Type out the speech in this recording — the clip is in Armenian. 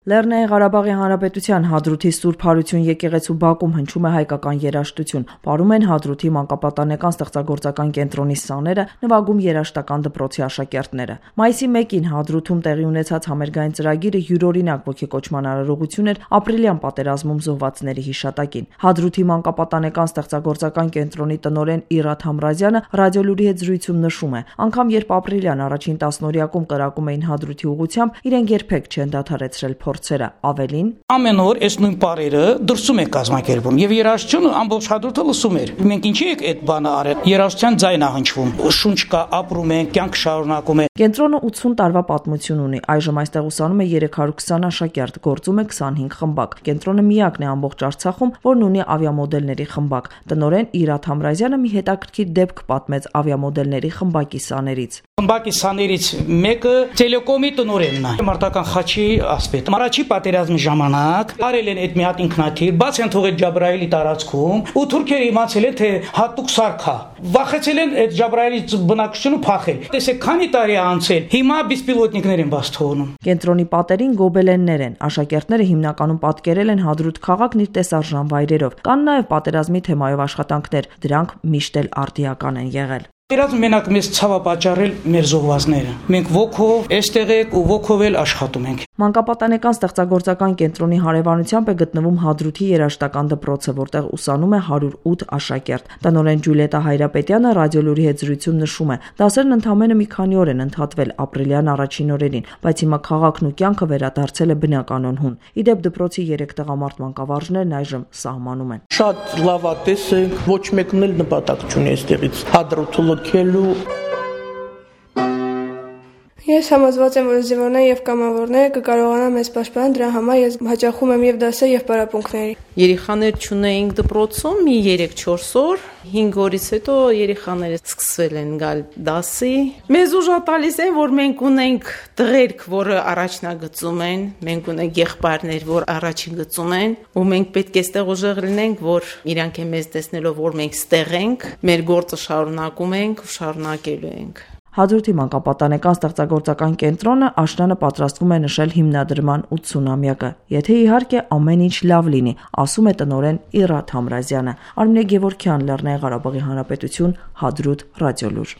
Լեռնային Ղարաբաղի Հանրապետության Հադրութի Սուրբ Հարություն եկեղեցու բակում հնչում է հայկական երաժշտություն։ Պարում են Հադրութի մանկապատանեկան ստեղծագործական կենտրոնի սաները, նվագում երաժշտական դպրոցի աշակերտները։ Մայիսի 1-ին Հադրութում տեղի ունեցած համերգային ծրագիրը յուրօրինակ ոգեկոչման արարողություն էր ապրիլյան պատերազմում զոհվածների հիշատակին։ Հադրութի մանկապատանեկան ստեղծագործական կենտրոնի տնօրեն Իրադ Համրազյանը ռադիոլուրի հետ զրույցում նշում է, անգամ երբ ապրիլյան առաջին տասնօրյակում կրակում էին Հադրութի ուղղությամբ, իրենք երբեք չեն դադարեցրել փորձերը, ավելին ամեն օր այս նույն պարերը դրսում եք կազմակերպում եւ երաժշտությունը ամբողջ Հադրութը լսում էր։ Մենք ինչի եք այդ բանը արել։ Երաժշտության ձայն ա հնչվում։ Շունչ կա, ապրում ենք, կյանք շարունակում ենք։ Կենտրոնը 80 տարվա պատմություն ունի։ Այժմ այստեղ ուսանում է 320 աշակերտ, գործում է 25 խմբակ։ Կենտրոնը միակն է ամբողջ Արցախում, որն ունի ավիամոդելների խմբակ։ Տնօրեն Իրադ Համրազյանը մի հետաքրքիր դեպք պատմեց ավիամոդելների խմբակի սաներից։ Խմբակի սաներից մեկը Տելեկոմի տնօրենն է, մարտական խաչի ասպետ։ Առաջի պատերազմի ժամանակ արել են այդ մի հատ ինքնաթիռ, բաց են թողել Ջաբրայելի տարածքում, ու թուրքերը իմացել են, թե հատուկ սարք է։ Վախեցել են այդ Ջաբրայելի բնակչությունը փախել։ Տեսեք, քանի տարի է անցել, հիմա բիսպիլոտնիկներ են բաց թողնում։ Կենտրոնի պատերին գոբելեններ են։ Աշակերտները հիմնականում պատկերել են Հադրութ քաղաքն իր տեսարժան վայրերով։ Կան նաև պատերազմի թեմայով աշխատանքներ, դրանք միշտ էլ արդիական են եղել։ Իրաց մենակ մեզ ցավը պատճառել մեր զոհվածները։ Մենք ոգով էստեղ ենք ու ոգով էլ աշխատում ենք։ Մանկապատանեկան ստեղծագործական կենտրոնի հարևանությամբ է գտնվում Հադրութի երաժշտական դպրոցը, որտեղ ուսանում է 108 աշակերտ։ Տնօրեն Ջուլիետա Հայրապետյանը ռադիոլուրի հետ զրույցում նշում է, դասերն ընդամենը մի քանի օր են ընդհատվել ապրիլյան առաջին օրերին, բայց հիմա քաղաքն ու կյանքը վերադարձել է բնականոն հուն։ Իդեպ դպրոցի 3 տղամարդ մանկավարժներն այժմ սահմանում են։ Շատ լավ է տեսեք, ոչ մեկն էլ նպատակ չունի այստեղից Հադրութը լքելու։ Ես համոզված եմ, որ զինվորները եւ կամավորները կկարողանան մեզ պաշտպանել, դրա համար ես հաճախում եմ եւ դասեր եւ պարապմունքների։ Երեխաներ չունեինք դպրոցում մի 3-4 օր, 5 օրից հետո երեխաները սկսել են գալ դասի։ Մեզ ուժ տալիս են, որ մենք ունենք տղերք, որը առաջնագծում են, մենք ունենք եղբայրներ, որ առաջին գծում են, ու մենք պետք է ստեղ ուժեղ լինենք, որ իրանք են մեզ տեսնելով, որ մենք ստեղ ենք, մեր գործը շարունակում ենք ու շարունակելու ենք։ Հադրութի մանկապատանեկան ստեղծագործական կենտրոնը աշնանը պատրաստվում է նշել հիմնադրման 80-ամյակը, եթե իհարկե ամեն ինչ լավ լինի, ասում է տնօրեն Իրադ Համրազյանը։ Արմինե Գևորգյան, Լեռնային Ղարաբաղի Հանրապետություն, Հադրութ, ռադիոլուր։